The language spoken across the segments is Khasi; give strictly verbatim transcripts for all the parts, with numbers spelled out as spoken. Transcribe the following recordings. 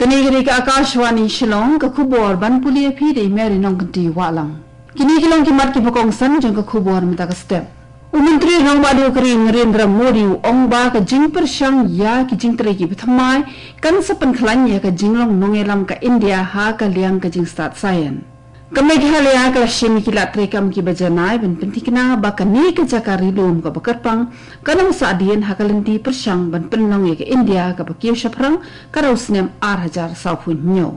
Kane ka dei ka Akashvani Shillong, ka khubor ban pule ïa phi da i Mary Nongkynti Wahlang. Kine ki long ki mat kiba kongsan jong ka khubor mynta ka step. U Myntri Rangbah Duh ka ri Narendra Modi u ong ba ka jingpyrshang ïa ki jingtrei kiba thymmai kan sa pynkhlaiñ ïa ka jinglong nongïalam ka India ha ka liang ka jingstad saian. Ka Meghalaya ka la shim ïa ki lad treikam kiba janai ban pynthikna ba kane ka jaka ri lum kaba kyrpang kan ym sah dien ha ka lynti pyrshang ban pynlong ïa ka India kaba kiew shaphrang ka rau snem ar hajar sawphew hynñiew.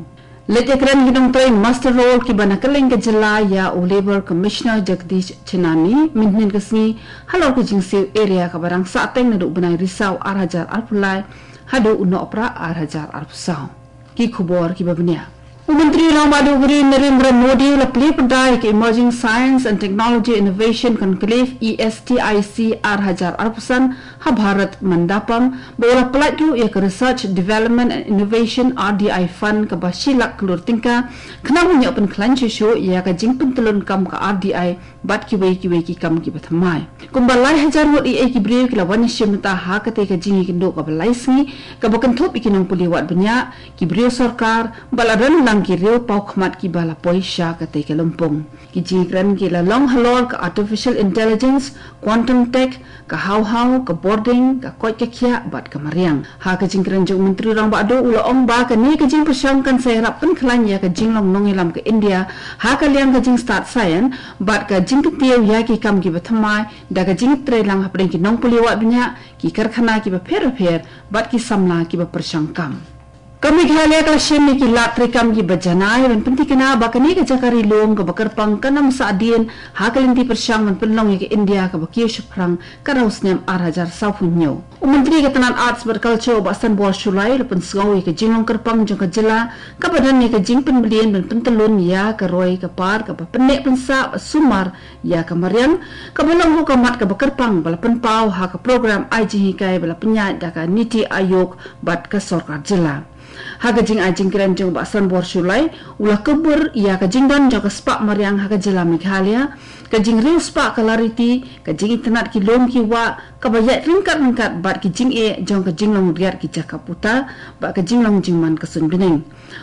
Leit ïakren ki nongtrei muster roll kiba na kylleng ka jylla ïa u Labour Commissioner Jagdish Chelani mynhynnin ka sngi halor ka jingsiew area kaba dang sahteng naduh u bnai Risaw ar hajar arphew lai haduh u Nohprah ar hajar arphew saw. Ki khubor kiba bniah. U Myntri Rangbah Duh ka ri Narendra Modi u la plie pyrda ïa ka Emerging Science and Technology Innovation Conclave, E S T I C, ar hajar arphew san ha Bharat Mandapam, ba u la pyllait ruh ïa ka Research, Development and Innovation, R D I Fund, kaba shi lak klur tyngka, khnang ban ïoh pynkhlaiñ shuh shuh ïa ka jingpyntyllun kam ka R D I bad kiwei kiwei ki kam kiba thymmai. Kumba lai hajar ngut eiei ki briew ki la wan ïashim bynta ha katei ka jingïakynduh kaba lai sngi, kaba kynthup ïa ki nongpule wad bniah, ki briew sorkar, bad la don lang ki riew paw khmat kiba la poi sha katei ka lympung. Ki jingïakren ki la long halor ka artificial intelligence, quantum tech, ka haw haw, ka bording, ka koit ka khiah bad ka mariang. Ha ka jingkren jong u Myntri Rangbah Duh u la ong ba kane ka jingpyrshang kan sa ïarap pynkhlaiñ ïa ka jinglong nongïalam ka India ha ka liang ka jingstad saian bad ka jingkyntiew ïa ki kam kiba thymmai da ka jingtrei lang hapdeng ki nongpule wad bniah, ki karkhana kiba pher bapher bad ki samla kiba pyrshang kam. Ka Meghalaya ka la shim ïa ki lad treikam kiba janai ban pynthikna ba kane ka jaka ri lum kaba kyrpang kan ym sah dien ha ka lynti pyrshang ban pynlong ïa ka India kaba kiew shaphrang ka rau snem ar hajar sawphew hynñiew. U Myntri ka tnad Arts bad Culture u Bah Sanbor Shullai u la pynsngew ïa ka jinglong kyrpang jong ka jylla kaba don ïa ka jingpynbeit ban pyntyllun ïa ka roi ka par kaba pynneh pynsah bad sumar ïa ka mariang, kaba long ruh ka mat kaba kyrpang ba la pynpaw ha ka program ai jinghikai ba la pynïaid da ka NITI Aayog bad ka sorkar jylla. Ha ka jingai jingkren jong u Bah Sanbor Shullai, u la kubur ïa ka jingdon jong ka spah mariang ha ka jylla Meghalaya, ka jingriewspah ka lariti, ka jingitynnad ki lum ki wah, kaba ïaid ryngkat ryngkat bad ki jingeh jong ka jinglong riat ki jaka puta bad ka jinglong jingman ka suiñbneng.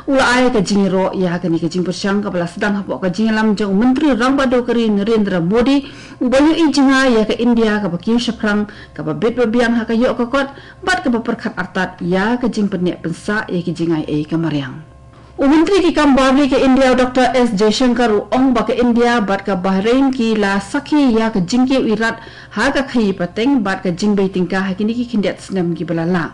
U la ai ka jingïaroh ïa kane ka jingpyrshang kaba la sdang hapoh ka jingïalam jong u Myntri Rangbah Duh ka ri Narendra Modi, uba ïohi jngai ïa ka India kaba kiew shaphrang, kaba bit ba biang ha ka ïoh ka kot bad kaba pyrkhat artat ïa ka jingpynneh pynsah ïa ki jingai ei ka mariang. U Myntri ki kam bar ri ka India u Doctor S Jaishankar u ong ba ka India bad ka Bahrain ki la sakhi ïa ka jingkiew irat ha ka khaïi pateng bad ka jingbei tyngka ha kine ki khyndiat snem kiba la lah.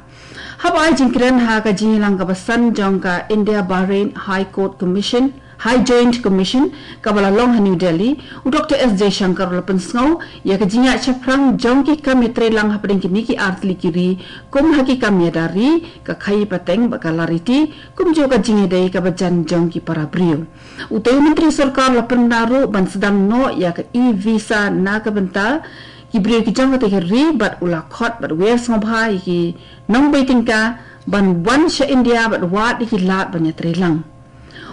Haba ai jingkren ha ka jingïalang kaba san jong ka India Bahrain High Court Commission, High Joint Commission, kaba la long ha New Delhi, u Doctor S Jaishankar u la pynsngew ïa ka jingïaid shaphrang jong ki kam ïatreilang hapdeng kine ki artylli ki ri, kum ha ki kam ïada ri, ka khaïi pateng bad ka lariti, kumjuh ka jingïadei kaba jan jong ki para briew. Utei u Myntri Sorkar u la pynbna ruh ban sdang noh ïa ka e-visa na ka bynta ki briew ki jong katei ka ri bad u la khot bad wer sngewbha ïa ki nongbei tyngka ban wan sha India bad wad ïa ki lad ban ïatreilang.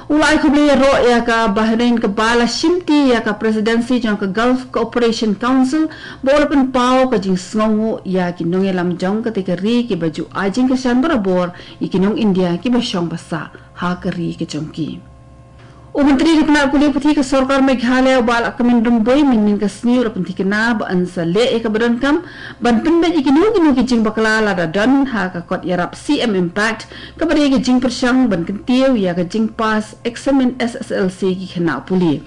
U la ai khublei ïaroh ïa ka Bahrain kaba la shimti ïa ka Presidency jong ka Gulf Cooperation Council, ba u la pynpaw ka jingsngewnguh ïa ki nongïalam jong katei ka ri kiba ju ai jingkyrshan barabor ïa ki nong India kiba shong ba sah ha ka ri ka jong ki. U Myntri ka tnad pule puthi ka Sorkar Meghalaya u Bah Lahkmen Rymbui mynhynnin ka sngi u la pynthikna ba yn sa leh ïa kaba donkam ban pynbeit ïa kino kino ki jingbakla lada don ha ka kot ïarap C M Impact, kaba dei ka jingpyrshang ban kyntiew ïa ka jingpass eksamin S S L C ki khynnah pule.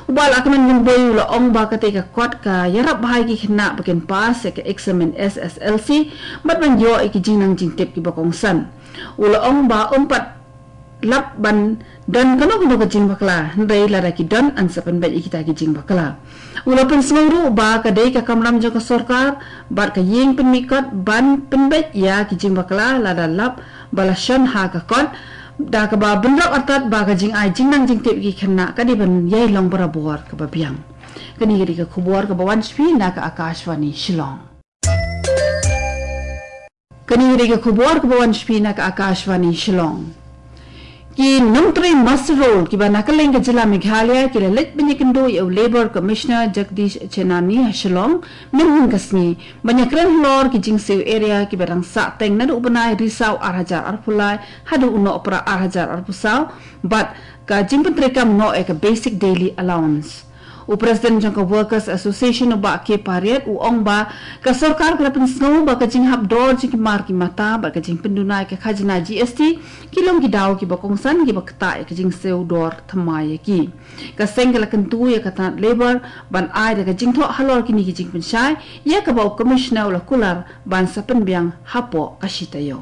U Bah Lahkmen Rymbui u la ong ba katei ka kot ka ïarap bha ïa ki khynnah ba kin pass ïa ka eksamin S S L C bad ban ïoh ïa ki jingnang jingtip kiba kongsan. U la ong ba ym pat lap ban don kano kano ka jingbakla, hynrei lada ki don yn sa pynbeit ïa kita ki jingbakla. U la pynsngew ruh ba ka dei ka kamram jong ka sorkar bad ka ïing pynmih kot ban pynbeit ïa ki jingbakla lada lap ba la shon ha ka kot, da kaba bynrap artat ba ka jingai jingnang jingtip ïa ki khynnah ka dei ban ïai long barabor kaba biang. Kane ka dei ka khubor kaba wan sha phi na ka Akashvani Shillong. Kane ka dei ka khubor kaba wan sha phi na ka Akashvani Shillong. Ki nongtrei muster roll kiba na kylleng ka jylla Meghalaya ki la leit ban ïakynduh ïa u Labour Commissioner Jagdish Chenani ha Shillong mynhynnin ka sngi ban ïakren halor ki jingsiew arrear kiba dang sah teng naduh u bnai Risaw ar hajar arphew lai haduh u Nohprah ar hajar arphew saw bad ka jingpyntreikam noh ïa ka basic daily allowance. U President jong ka Workers Association, u Bah K Pariat, u ong ba ka sorkar ka la pynsngew ba ka jinghap dor jong ki mar ki mata bad ka jingpynduna ïa ka khajna G S T ki long ki daw kiba kongsan kiba ktah ïa ka jingsiew dor thymmai ïa ki. Ka seng ka la kyntu ïa ka tnat Labour ban ai da ka jingthoh halor kine ki jingpynshai, ïa kaba u Commissioner u la kular ban sa pynbiang hapoh ka shi taïew.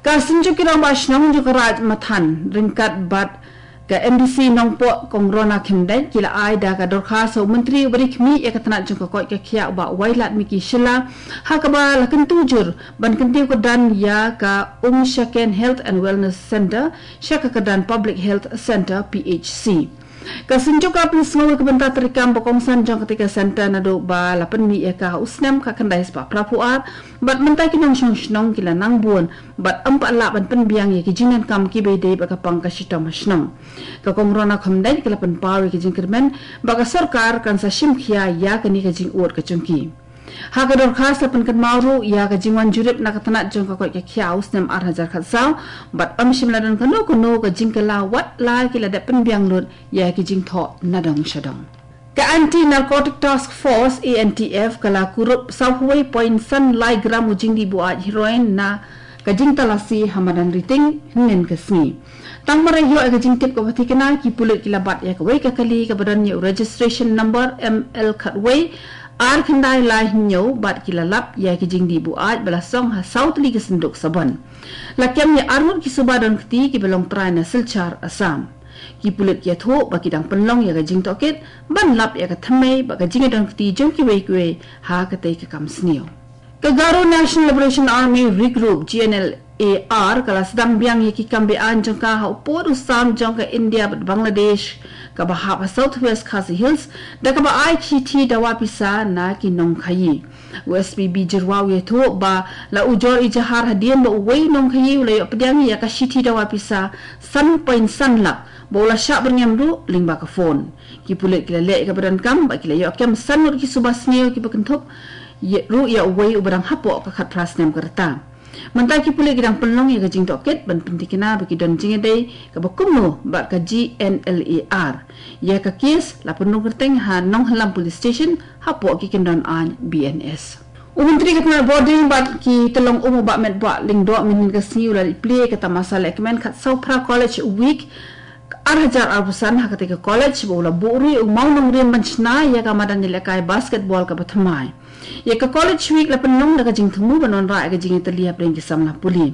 Ka Synjuk ki Rangbah Shnong jong ka Raid Mathan ryngkat bad ka M D C Nongpoh, Kong Rona Khymdeit, ki la ai da ka dorkhas ha u Myntri uba ri khmih ïa ka tnat jong ka koit ka khiah, u Bah Wailadmiki Shylla, ha kaba la kyntu jur ban kyntiew kyrdan ïa ka Umshaken Health and Wellness Centre sha ka kyrdan Public Health Centre, P H C. Ka Synjuk ka la pynsngew ïa ka bynta treikam ba kongsan jong katei ka centre naduh ba la pynmih ïa ka ha u snem khatkhyndai spah phra phew ar, bad mynta ki nongshong shnong ki la nang bun bad ym pat lah ban pynbiang ïa ki jingdonkam kiba ïadei bad ka pang ka shitom ha shnong. Ka Kong Rona Khymdeit ka la pynpaw ïa ki jingkyrmen ba ka sorkar kan sa shim khia ïa kane ka jingud ka jong ki. Ha ka dorkhas la pynkynmaw ruh ïa ka jingwan jurip na ka tnat jong ka koit ka khiah ha u snem ar hajar khatsaw, bad ym shym la don kano kano ka jingkylla wat la ki la dep pynbiang lut ïa ki jingthoh na dong sha dong. Ka Anti Narcotic Task Force, A N T F, ka la kurup saw wei point san lai gram u jingdih buaid heroin na ka jingtalasi ha madan Riting hynnin ka sngi. Tang mar ïoh ïa ka jingtip kaba thikna, ki pulit ki la bat ïa kawei ka kali kaba don ïa u registration number M L khatwei ar khyndai lai hynñiew bad ki la lap ïa ki jingdih buaid ba la song ha saw tylli ki synduk sabon. La kem ïa arngut ki suba don kti kiba long trai na Silchar, Assam. Ki pulit ki ïathuh ba ki dang pynlong ïa ka jingtohkit ban lap ïa ka thymmei bad ka jingïadon kti jong kiwei kiwei ha katei ka kam sniew. Ka Garo National Liberation Army Regroup, G N L A R, ka la sdang biang ïa ki kam be-aiñ jong ka ha u pud u sam jong ka India bad Bangladesh kaba hap ha South West Khasi Hills, da kaba ai shithi dawa pisa na ki nongkhaïi. U S P B Jyrwa u ïathuh ba la ujor ijahar hadien ba uwei u nongkhaïi u la ïoh pdiang ïa ka shithi dawa pisa san point san lak, ba u la shah byrngem ruh lyngba ka phone. Ki pulit ki la leh ïa kaba donkam bad ki la ïoh kem san ngut ki suba sniew kiba kynthup ïa, ruh ïa uwei uba dang hapoh ka khatphra snem ka rta. Mynta ki pulit ki dang pynlong ïa ka jingtohkit ban pynthikna ba ki don jingïadei kaba kumno bad ka G N L A R. Ïa ka kes la pynrung kyrteng ha Nonghyllap Police Station hapoh ki kyndon aiñ B N S. U Myntri ka tnat Bording bad ki tyllong um, u Bah Metbah Lyngdoh, mynhynnin ka sngi u la plie ïa ka tamasa lehkmen khatsaw phra College Week ar hajar arphew san ha katei ka college, ba u la buh ruh ïa u mawnongrim ban shna ïa ka madan ïalehkai basketball kaba thymmai. Ïa ka College Week la pynlong da ka jingthmu ban wanrah ïa ka jingïatylli hapdeng ki samla pule.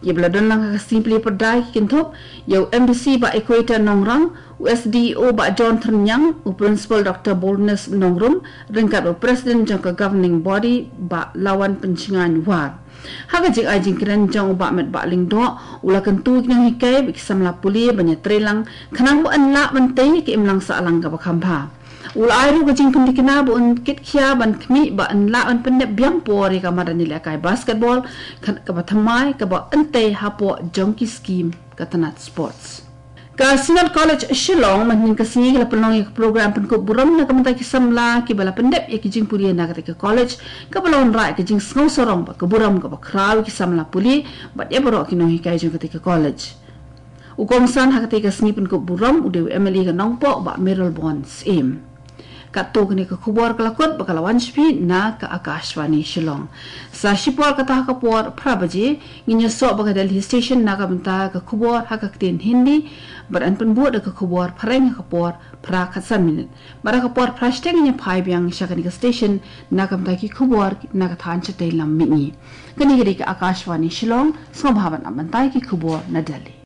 Kiba la don lang ha ka sngi plie pyrda ki kynthup ïa u M D C Bah Equator Nongrang, u S D O Bah John Tyrniang, u Principal Doctor Boldness Nongrum, ryngkat u President jong ka Governing Body Bah Lawan Pynshngaiñ War. Ha ka jingai jingkren jong u Bah Metbah Lyngdoh, u la kyntu ïa ki nonghikai bad ki samla pule ban ïatreilang khnang ba yn lah ban tei ïa ka imlang sahlang kaba kham bha. U la ai ruh ka jingpynthikna ba un kitkhia ban khmih ba yn lah ban pyndep biang por ïa ka madan ïalehkai basketball, kaba thymmai, kaba yn tei hapoh jong ki skim ka tnat sports. Ka Synod College Shillong mynhynnin ka sngi ka la pynlong ïa ka program pynkup burom na ka bynta ki samla kiba la pyndep ïa ki jingpule na katei ka college, kaba la wanrah ïa ka jingsngew sarong bad ka burom kaba khraw ïa ki samla pule bad ïa baroh ki nonghikai jong katei ka college. U kongsan ha katei ka sngi pynkup burom u dei u M L A ka Nongpoh, Bah Mayralborn Syiem. Katto kane ka khubor ka la kut bad ka la wan sha phi na ka Akashvani Shillong. Sa shipor kata ha ka por phra baje ngin ïasoh bad ka Delhi Station na ka bynta ka khubor ha ka ktien Hindi, bad yn pynbud da ka khubor phareng ha ka por phra khatsan minit. Bad ha ka por phra shiteng ngin ïa phai biang sha kane ka station na ka bynta ki khubor na ka thaiñ shatei lam mihngi. Kane ka dei ka Akashvani Shillong, sngewbha ban ap bynta ïa ki khubor na Delhi.